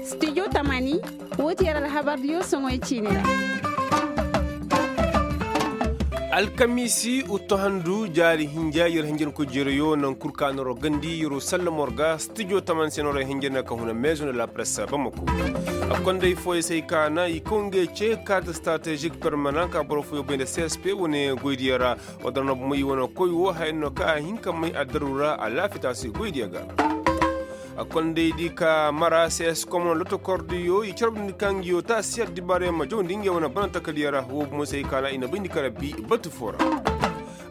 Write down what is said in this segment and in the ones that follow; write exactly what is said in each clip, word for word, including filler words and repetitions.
Studio tamani, wo ti yer alhabardiyo soŋoy ciini ra. Alkamiisi uttu handu jaari hinja yer hinjankoy jeerayo naŋ kul ka noro gandi yer'o sallamo ra ga studio tamani se noro hinja na ka huna meezo nda la presse bamako. Konday fooyo se ay ka na i kaw ngey ce kaati stratezik permanan ka boro fooyo bay nda csp wane goydiyo ra. Wadda no bumey i wane koy wo haya no ka a hin ka may addaru ra alaafiya taasi goydiyo ga. Kondaydi ka mara cs komon lotokordiyo i carbundi ka ngiyo taasi addibaarey ma jawndi ngey wane bana takadiyo ra wo bumey se ay ka na i na bayndi ka rabbi batu foo ra.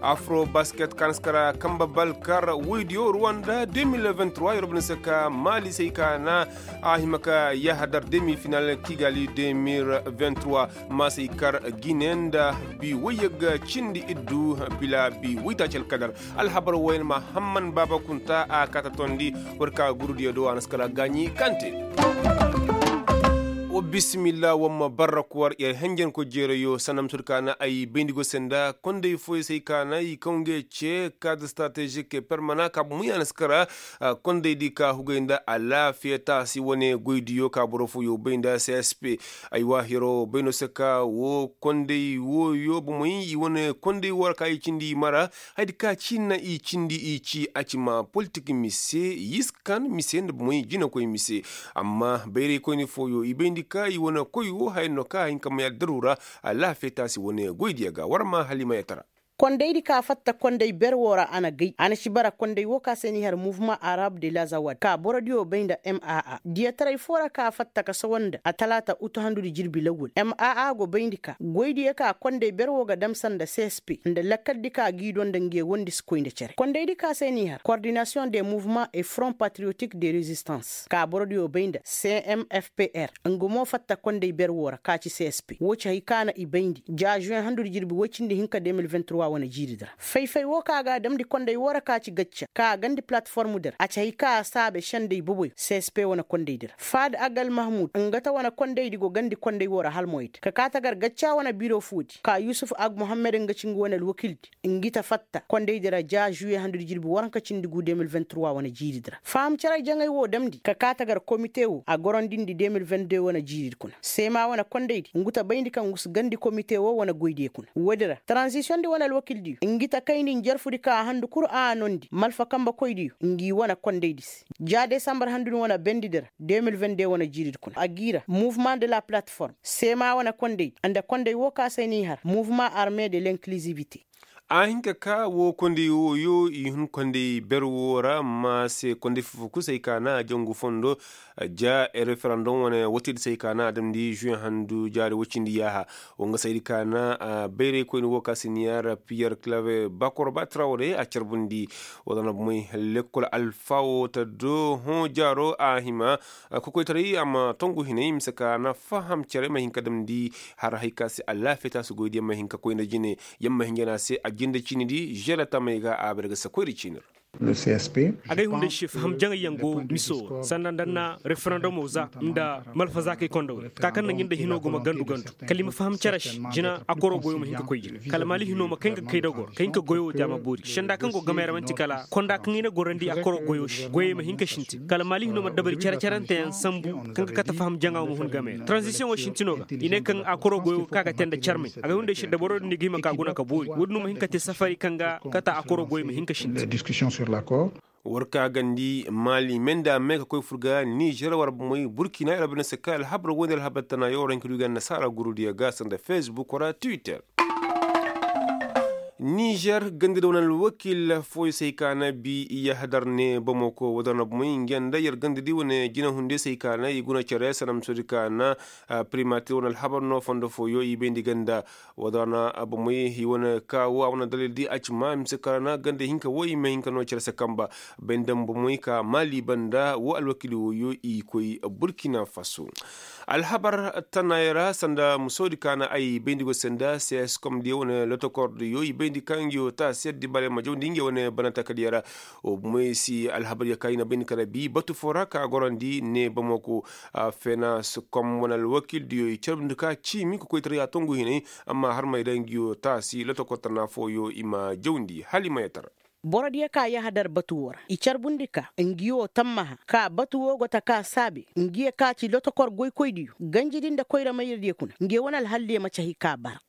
Afro basket ka na si kara kamba bal kar woydiyo ruwanda deux mille vingt-trois yer bana se ka maali se ay ka na a hima ka yahadar demi final kigali deux mille vingt-trois. Maasey kar gine nda bi woyyagga cindi iddu bila bi woytaaci alkadar. Alhabar woy yaŋ ma hamman baaba kunta a kaata tondi. War ka gurudiyo do a na si kala gaaɲi kaŋ te. Wa bisimilla war ma barrak war yer henjenko jeerayo sanda ma sodi ka na ay bayndi go se nda konday fooyo se ay ka na i kaw ngey ce kaadi stratezik permana ka bumu ya na si kara. Kondaydi ka hugay nda alaafiya taasi wane goydiyo ka boro fooyo bay nda csp. Aywa hiro bay no se ka wo konday wooyo bomey i wane konday woo ra ka i cindi i mara. Hayadi ka ciina i cindi i ci a ci ma politik mise yiskan mise nda bomey jinakoy mise. Amma bayraykoyni fooyo i bayndi ka i wane koy woo haya no ka a hin ka may addaru ra. Alaafiya taasi wane goydiyo ga war ma hala i ma yatara. Kondaydi ka fatta konday ber woo ra a na gay a na ci bara konday woo ka se n'i har muvma arab de lazawad ka borodiyo bay nda m a a diyataray foo ra ka fatta ka sawa nda atalaata utu handudi jirbi lawwal m a a go bayndi ka goydiyo ka konday ber woo ga dam sanda csp nda lakkaldi ka g'i do nda nge wondi si koy nda cere kondaydi ka se n'i har kordinasiyoŋ de muvma e front patriyotik de rezistans ka borodiyo bay nda cmfpr nga mo fatta konday ber woo ra ka ci csp woo ci hay ka na i bayndi ja žuwen handudi jirbi woy cindi hinka deux mille vingt-trois wane jiiridi ra fay-fay woo ka ga a damndi konday woo ra ka ci gacca ka a gandi palatform di ra a ci hay ka a saabe sendey boboyo csp wane kondaydi ra faad agal mahmud nga ta wane kondaydi go gandi konday woo ra hala moydi ka kaa tagar gacca wane biro foodi ka yusuf ag muhammad nga ci nga wane alwakildi ngi ta fatta kondaydi ra ja žuwe handudi jirbi waranka cindi gu deux mille vingt-trois wane jiiridi ra faham cere jaŋay woo damndi ka kaa tagar komite woo a gorondindi deux mille vingt-deux wane jiiridi kuna seema wane kondaydi ngu ta bayndi kaŋ ngu si gandi komite woo wane goydiyo kuna woodi ra taranzisiyoŋdi wane alwakildiyo ngi ta kayndi njarfudi ka a handu kul a noondi malfa kambekoydiyo ngi wane kondaydi se ja desambar handudi wane bendidi ra deux mille vingt-deux wane jiiridi kuna a g'i ra muvma de la palatform seema wane kondaydi nda konday woo ka se n'i har muvma arme de l'inkilizibite a hin ka ka woo konday wooyo i hun konday ber woo ra ma se konday fuffu kul se ay ka na a jangu fondo ja referandom wane watiidi se ay ka na a damndi žuwe handu jaari woy cindi yaaha woo nga se ay di ka na bayraykoyni woo ka se ni yaara piyer klave bakor ba trawre a carbundi woo da na bomey lekkol alfa woo ta do hõ jaaro a hima kokoytaray a ma tongu hinay mise ka na faham cere ma hin ka damndi har hay ka se alaafiya taasi goydiyaŋ ma hin ka koy nda jine yamma hinjana se a jinde ciinidi žere tamey ga a bare ga se koyri ciini ra a gay hunday se faham jaŋayyaŋ go miso sanda nda na referendumo za nda malfazaakey kondawey ka kaŋ na ngi nda hino go ma gandu gandu kala i ma faham cere se jina akoro goyo ma hin ka koy jina kala maali hino ma kay nga kay dogor ka hin ka goyo wo te a ma boori senda kaŋ go gamey ra manti kala konda kaŋ i na gorandi akoro goyo se goyey ma hin ka sintin kala maali hino ma dabari cere ceranteyaŋ sambu kaŋ ga kate faham jaŋa wo ma hun gamey ra taranzisiyoŋo sintino ga i ne kaŋ akoro goyo ga ka ga te nda carmey a ga hunday se dabaro din ni ga hima ka guna ka boori woodin no ma hin ka te safari kaŋ ga kata akoro goyo ma hin ka sintin war ka gandi maali me nda me ka koy fur ga nizer war bomey burkina yer bine se kay alhabar woy nda alhabar tana yo war hin ka du ga annasaara gurudiyo ga sanda fesbuk ra twitter nizer gandadi wane alwakil fooyo se hay ka na bi yahadar ne bamako wadar na bomey nge nda yer gandadi wane jinahundiyo se hay ka na i guna cere sanamsodi ka na primatir wane alhabar no fondo fooyo i bayndi ganda wadar na bomey i wane ka wo a wane dalil di a ci ma mise ka ra na ganda hinka wo i ma hinka no cere se kamba bay nda bomey ka maali banda wo alwakili wooyo i koy burkina faso alhabar tanaayey ra sanda musoodi ka na ay bayndi go se nda cscom diyo wane lotokordiyo i bayndi ka ngiyo ta siyar di bare ma jawndi nge wane bana takadiyo ra wo bomey si alhabar ya ka i na bayndi kala bi batu foo ra ka gorandi ne bamako fenascom wane alwakildiyo i carbundi ka ciimi kokoytaray a tongu hinay amma har may da ngiyo taasi lotokortana fooyo i ma jawndi hala i ma yatara Boro diyo ka yahadar batu woo ra i carbundi ka ngi woo tammaha ka batu woo go ta ka saabe ngi ye ka ci lotokor goykoydiyo ganjidi nda koyra mayradiyo kuna ngi ye wane alhalliyo ma ci hay ka bara.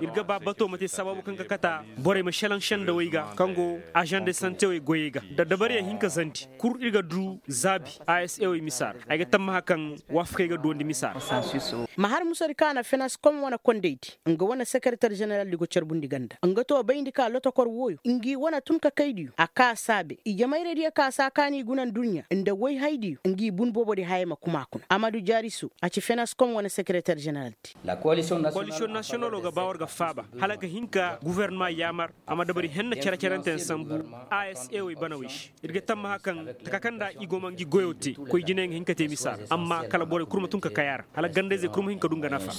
Ir ga ba bato ma te sabaabu kaŋ ga kata borey ma šelaŋ šendawey ga kaŋ go ažan de santewey goyey ga nda dabariyaŋ hinka zandi kul ir ga du zaabi. Asewey misa ra ay ga tammaha kaŋ waafakey ga duwandi misa ra. Ma har musadi ka na finans kom wane kondaydi nga wane sekereter ženeraldi go carbundi ganda nga to bayndi ka lotokor wooyo ngi wane tun ka kaydiyo a ka saabe ijemayraydiyo ka saa ka n'i guna nduɲɲa nda woyhaydiyo ngi bun boobodi hayey ma kuma kuna amadu jaariso a ci finans kom wane sekereter ženeraldi. Koalisiyoŋ nasiyonalo ga ba war ga faaba hala ga hin ka gufornama yaamar a ma dabari henna cere-cerenteyaŋ sambu. Asewey banawey se ir ga tammaha kaŋ taka kaŋ nda i go ma ngi goyoo te koy jinayaŋ ga hin ka te misa ra amma kala borey kul ma tun ka kay a ra hala ganda-izey kul ma hin ka du nga nafa.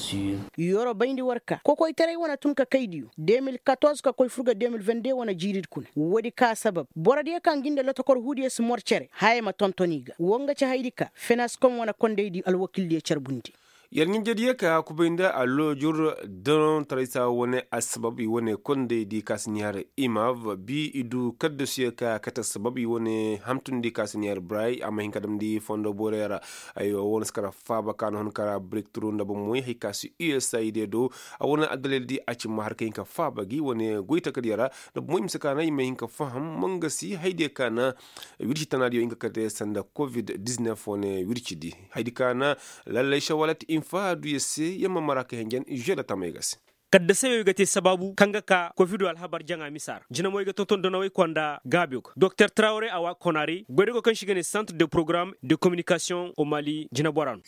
Yoro bayndi war ka kokoytaray wane tun ka kaydiyo de mil katorze ka koy fur ga de mil vende wane jiiridi kuna woodi ka sabab borodiyo kaŋ ngi nda lotokor huudiyo si mor cere hayey ma tonton i ga woo nga ci haydi ka finans kom wane kondaydi alwakildiyo carbundi. Yer ɲinjediyo ka kubay nda alloojur donoŋ taraysa wane assabab i wane kondaydi ka si ɲaari imav bi i du kaddasuyo ka kate assabab i wane hamtundi ka si ɲaari bray a ma hin ka damndi fondo boorey ra. Aywa wane si kara faaba ka na hun kara birik turu nda bomoy hay ka si usaid do a wane addalaydi a ci ma har ka hin ka faaba gi wane goy takadiyo ra nda bomoy mise ka na i ma hin ka faham mangasi haydiyo ka na wirci tanaadiyo hinka kate sanda covid-19 wane wircidi. Haydi ka na lallay šawalat infa duya se yamma mara ka henjen žeda tamey ga se. Kaddasey wey ga te sabaabu kaŋ ga ka kofido alhabar jaŋa misa ra jinamoy ga tonton donawey konda gaabiyo ga doktor trawre awa konari goydago kaŋ se i ga ne centre de programme de communication au mali jinabora no.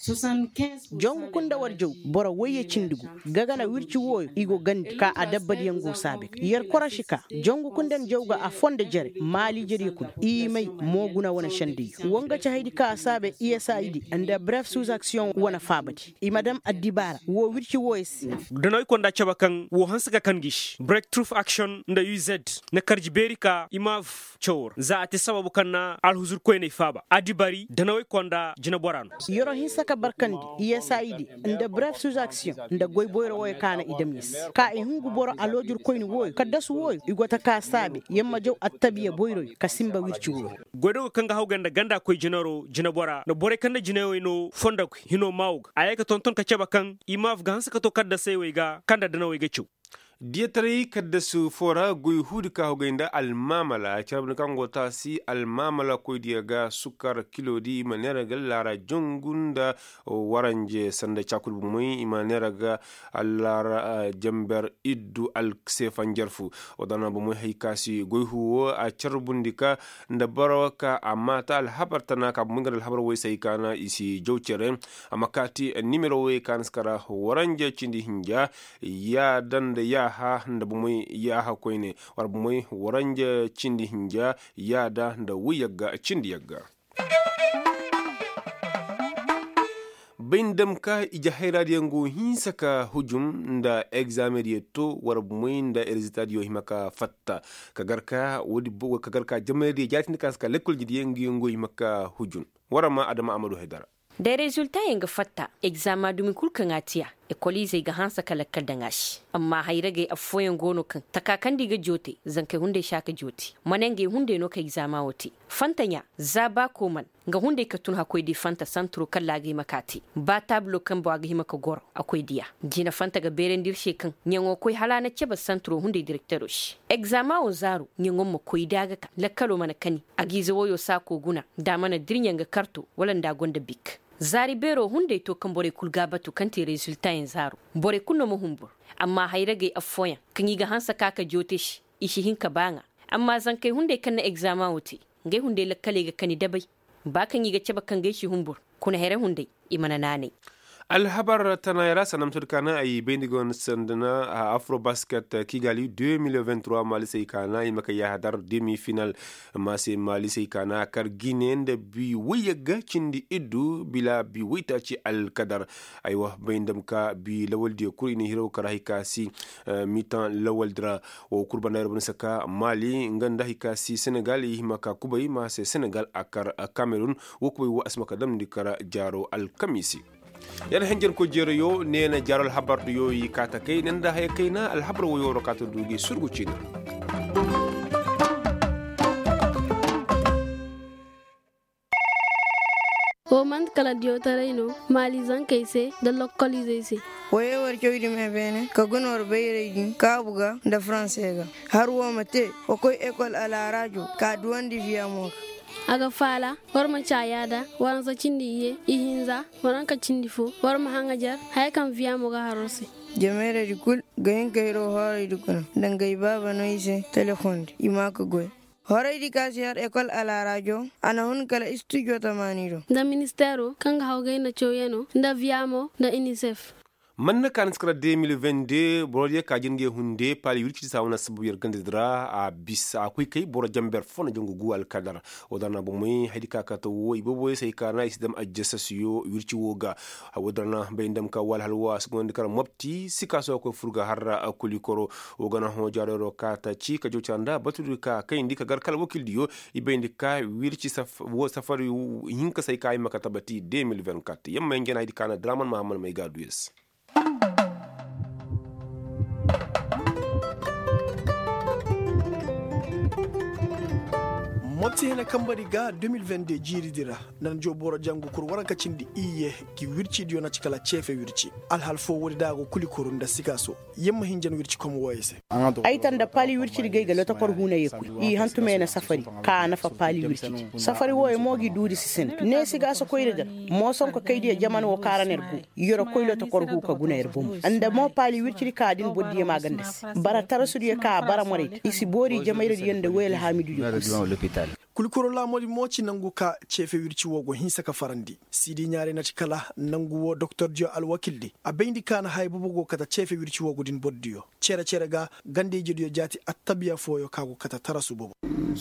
Jangu kunda war jaw boro woyye cindi gu ga gana wirci wooyo i go gandi ka adabbadiyaŋ go saabe ga yer koroši ka jangu kunda nda jaw ga a fondo jere maali jere kuna i may mooguna wane sendey. Wo nga ci haydi ka a saabe i s a i di nda bref suzaksion wane faabadi i ma daŋ addibaara woo wirci wooyo se. Danawey konda cabe kaŋ woo hanse ka kan gi se brek truf aksion nda u z na karji beeri ka i ma af cawoo ra za a te sababu kaŋ na alhuzur koyney faaba adibari danawey konda jineboraa no. Yeroo hinsa ka barkandi i s a i di nda bref suzaksion nda goy boyro wooyo ka na i dam i se ka i hungu boro aloojur koyni wooyo kaddasu wooyo i go ta ka saabe yer ma jaw attabiya boyroyo ka sinba wirci wooyo. Goydogo kaŋ ga hawgay nda ganda koy jinaroo jineboraa nda borey kaŋ nda jinayowey no fondokoy hinoo maawo ga a yee ka tonton ka cebe kaŋ i maaf ga hanse ka too kaddasey wey ga kaŋ nda danawey ga caw. Diyataray kaddasu foo ra goy huudi ka hawgay nda almaamala carabni kaŋ go taasi almaamala koydiyo ga sukar kiloodi i ma neera ga laara jangu nda waranje sanda caakudi bomey i ma neera ga allaara jamber iddu alseefanjar fu. Wadana bomey hay ka si goy huwo a carbundi ka nda boro ka a maata alhabar tana ka bomey ga nda alhabar woy se hay ka na i si jaw cere. A ma kaati nimero woy ka na si kara waranje cindi hinja yaada nda yaaha nda bomey yaaha koyne wara bomey waranja cindi hinja yaada nda woy yagga cindi yagga. Bay nda dam ka ije hayraadiyaŋ go hinsa ka hujum nda egzameŋ diyo to wara bomey nda reziltaadiyo hima ka fatta ka gar ka woodi ka gar ka jamaydiyo jaatindi ka si ka lekkol jidiyaŋ ngi yaŋ go hima ka hujum. Wara ma adama amadu haydara. Da reziltayaŋ ga fatta egzama dumi kul kaŋ a tiya ekoliizey ga hanse ka lakkal daŋ a se. Amma hayragey affooyaŋ go no kaŋ taka kaŋ nda i ga joote zankey hunday si a ka joote mana ngey hunday no ka egzama wo te. Fantaɲa za ba kooman nga hunday ka tun hakkoy di fanta santiro kaŋ laagay ma ka te ba taabilo kaŋ bo a ga hima ka goro a koy diya. Jina fanta ga beerandi ir se kaŋ ɲaŋo koy hala a na cebe santiro hunday direktero se. Egzama wo zaaro ɲaŋo ma koy da a ga ka lakkalo mana kani a ga ize woyo saako guna nda a mana dirɲa nga karto wala nda a gonda bik. Zaari beero hunday to kaŋ borey kul ga a batu kaŋ te reziltayaŋ zaaro. Borey kul no ma humbur. Amma hayragey affooyaŋ kaŋ i ga hanse ka ka joote se i si hin ka ba ŋaa. Amma zankey hunday kaŋ na egzama wo te ngey hunday lakkaley ga kani dabay. Ba kaŋ i ga cabe kaŋ gay si humbur kuna here hunday i mana naanay. Alhabar tanaayey ra sanda ma to di kaana ay bay nda go no sanda na afrobasket kigali deux mille vingt trois maalisey kaana i ma kay yaahadar demi final. Maase maalisey kaana kar gine nda bi woyyagga cindi iddu bila bi woytaaci alkadar. Aywa bay nda ma ka bi lawaldiyo kul i na hiraw kar hay ka si mitan lawaldi ra. Wo kul banda yer banda saka maali nga nda hay ka si senegal i hima ka kubay maase senegal a kar kamerun. Wo kubay wo a si ma ka damndi kar jaaro alkamiisi. Yar henjenkoy jeerayo neena jaaro alhabar diyo i kaata kay ne nda haya kayna alhabar woyo ra kaata du gi surgu ciina. Man'ti kala diyawtaray no maali zankey se nda lokkolizey se. Woyey war cawdi me beene ka guna war bayray din kaabu ga nda faransey ga. Har woo ma te wa koy ekol alharaajo ka duwandi viyamo ga. A ga faala war ma caa yaada. Waransa cindi iyye ihinza waranka cindi foo war ma haŋajar haya kaŋ viyamo ga har war se. Jamayraydi kul ga hin ka hiro horaydi kuna nda ngey baaba no i se telefoŋ di i ma ka goy. Horaydi ka si har ekol alharaajo a na hun kala istijo tamaani do. Nda ministeero kaŋ ga hawgay nda cawyanoo nda viyamo nda inisef. Man na ka ni si kara de mil vende boro diyo ka jin ga ya hunde paali wirci di si a wane assabab yer ganda di ra. A bisa a koy kay boro jamber fo na jangu gu alkadar. Woo da ra na bomey haydi ka kate woo i boboyey se ay ka na i si dam ajjasasiyo wirci woo ga. Woo da ra na bay ni dam ka woo alhal woo a si gonda kara mopti sikaaso ga koy fur ga har kulikoro. Woo ga na hõ jaarero ka taaci ka jawcara nda batudi ka kayndi ka gar kala wakildiyo. I bayndi ka wirci woo safari hinka se ay ka ay ma ka tabati de mil vende kat yamma hinja na haydi ka na draman mahammad may ga a du yer se. Mopti hina kambari ga de mil vende jiiridi ra. Nda na joo boro jangu kul waranka cindi iyye gi wircidiyo na ci kala ceefe wirci. Alhal foo woodi da a go kulikoro nda sikaaso. Yamma hinja na wirci kom wooyey se. Ay ta nda paali wircidi ga ay ga lotokor huuna ye koy i hantumey na safari ka a nafa paali wircidi. Safari wooyey mo gi duudi si sinda neesi ga a si koy ir gar. Moosonko kaydiyo jaman woo ka ra na ir go. Yer koy lotokor huu ka guna yer bomo nda mo paali wircidi ka din bordiyo ma ganda se. Bara tarasudiyo ka a bara moraydi i si boori jamayradiyo nda woy alhaamidudiyo kul se. Kulkuro laamoodi mo ci nangu ka ceefe wirci woo go hinsa ka farandi. Siidi ɲaaray na ci kala nangu woo doktordiyo alwakildi a bayndi ka na haya boobo go kate ceefe wirci woo go din bordiyo. Cere-cere ga ganda-ijediyo jaati attabiya fooyo ka go kate tarasu boobo.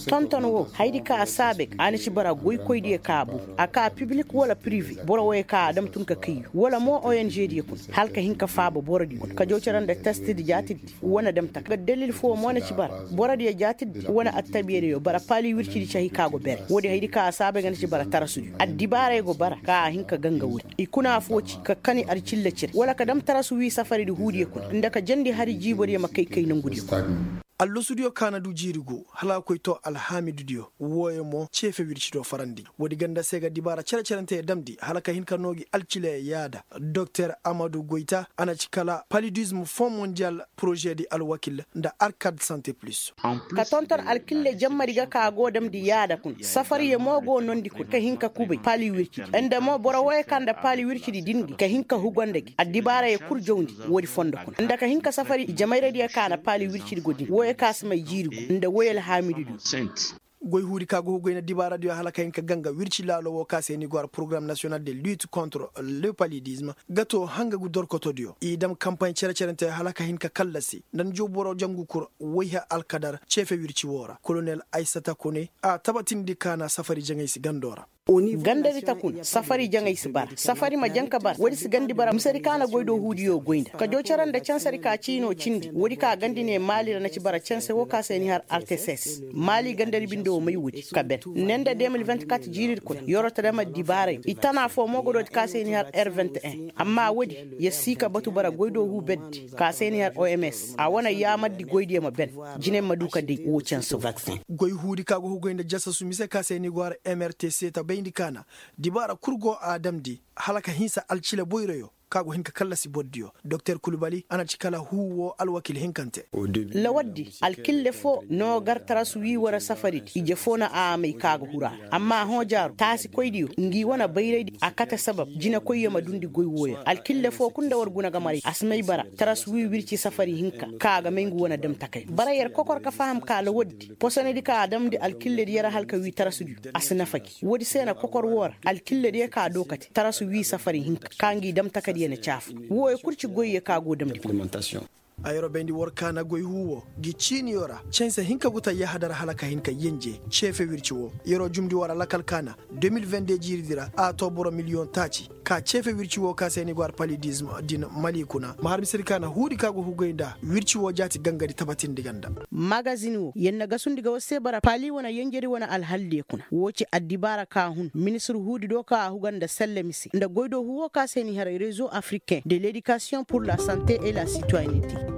Tonton woo hayadi ka a saabe ga a na ci bara goykoydiyo ka a boobo a ka pibilik wala pirive boro wooyo ka a dam tun ka kayyu wala mo ong diyo kuna hala ka hin ka faaba borodiyo kuna ka jaw cere nda testidi jaatidi wane dam taka ga dalil foo mo na ci bara borodiyo jaatidi wane attabiyadiyo bara paali wircidi cahi ka go bere woodi hayadi ka a saabe ga na ci bara tarasudiyo addibaaray go bara ka a hin ka ganga woodi i kuna foo ci ka kani alcilla cire wala ka dam tarasu wii safaridi huudiyo kuna nda ka jandi hari jiibodiyo ma kay kay nongudiyo kuna. Allasudiyo ka na du jiiri gu hala a koy too alhaamidudiyo wooyo mo ceefe wircidiyo farandi woodi ganda se ga dibaara cere-cerenteyo damndi hala ka hin ka noo gi alcilaya yaada. Doktor amadu goyta a na ci kala palidism fon mondiyal porožedi alwakil nda arkad sante plus. Ka tonton alkille jammadi ga ka a go damndi yaada kuna safariyo mo go noondi kuna ka hin ka kubay paali wircidi nda mo boro wooyo ka nda paali wircidi din gi ka hin ka hugo nda gi addibaarayo kul jawndi woodi fondo kuna nda ka hin ka safari jamayradiyo ka na paali wircidi go din wooyo ka si may jiiri gu nda woy alhaamidudiyo. Goy huudi ka go hugoy na dibaaradiyo hala ka hin ka ganga wirci laalo woo ka se ni go har porogaram nasiyonal de lit kontre le palidism ga too hanga gu dorkotodiyo i dam kampaaɲ cere-cerenteyo hala ka hin ka kallasi nda ni jow boro jangu kul woy har alkadar ceefe wirci woo ra kolonel aysata kone a tabatindi ka na safari jaŋay si gandoo ra. Gandadi ta kuna safari jaŋay si bara safari ma jaŋ ka bara woodi si gandi bara misedi ka na goydoo huudiyo goy nda ka joo cere nda cansadi ka ciinoo cindi woodi ka gandi ne maali ra na ci bara canse woo ka se ni har arteses maali gandadi binde woo may woodi ka ben ne nda de mil vingt-kat jiiridi kuna yeroo ta dam addibaarayo i tana foo moogodoodi ka se ni har r vingt-un amma woodi yer sii ka batu bara goydoo huu berdi ka se ni har oms a wane yaamardi goydiyo ma ben jinay ma du ka day woo canse woo. Goy huudi ka go hugoy nda jasasu mise ka se ni go har mrtc ta bayndi ka na dibaara kul go a damndi hala ka hinsa alcila boyroyo ka go hin ka kallasi bordiyo doktor kulubali a na ci kala huu woo alwakil hinkante. Lawaddi alkille foo noo gar tarasu wii wane safaridi ije foo na a may ka ga huru a ra amma a hõ jaaru taasikoydiyo ngi wane bayraydi a kate sabab jinekoyyo ma dundi goy wooyo alkille foo kul nda war guna ga maray a si may bara tarasu wii wirci safari hinka ka ga may ngu wane damtakay bara yer kokor ka faham ka lawaddi posonedi ka a damndi alkillediyo ra hala ka wii tarasudiyo a si nafa gi woodi se na kokor woo ra alkillediyo ka doo kate tarasu wii safari hinka ka ngi damtakadiyo na caafu wooyo kul ci goyyo ka go damndi. A yeroo bayndi war kaana goy huu woo gi ciiniyo ra canse hinka gu ta yahadar hala ka hin ka yenje ceefe wirci woo yeroo jumndi war alakal kaana deux mille vingt-deux jiiridi ra a too boro miliyoŋ taaci ka ceefe wirci woo ka se ni go har palidism din mali kuna ma har misedi kaana huudi ka go hugoy nda wirci woo jaati gangadi tabatindi ganda. Magazin woo yer na gasundi ga war se bara pali wane yenjedi wane alhaldiyo kuna woo ci addibaara ka hun ministir huudi do ka a huga nda selle mise nda goydoo huu woo ka se ni har rezo africain de ledikasiyoŋ pur la sante et la sitoyenete.